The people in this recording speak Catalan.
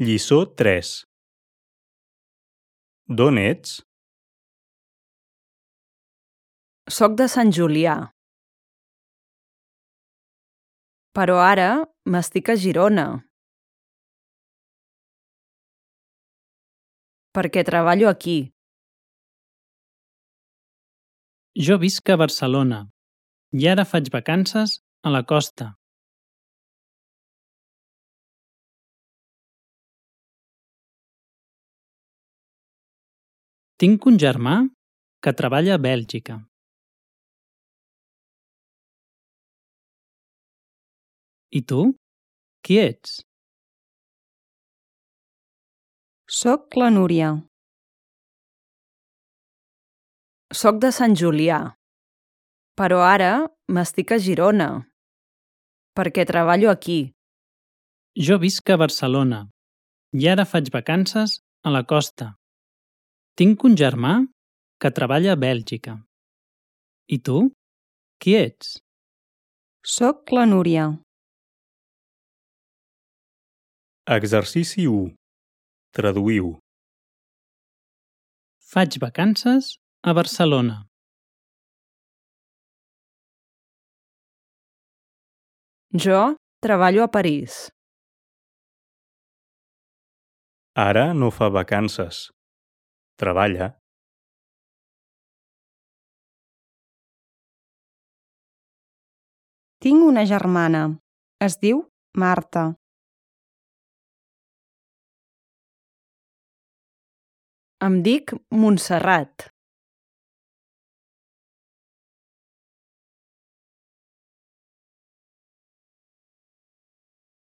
Lliçó 3. D'on ets? Soc de Sant Julià. Però ara m'estic a Girona. Perquè treballo aquí. Jo visc a Barcelona i ara faig vacances a la costa. Tinc un germà que treballa a Bèlgica. I tu? Qui ets? Soc la Núria. Soc de Sant Julià. Però ara m'estic a Girona. Perquè treballo aquí. Jo visc a Barcelona i ara faig vacances a la costa. Tinc un germà que treballa a Bèlgica. I tu? Qui ets? Soc la Núria. Exercici 1. Traduïu. Faig vacances a Barcelona. Jo treballo a París. Ara no fa vacances. Treballa. Tinc una germana. Es diu Marta. Em dic Montserrat.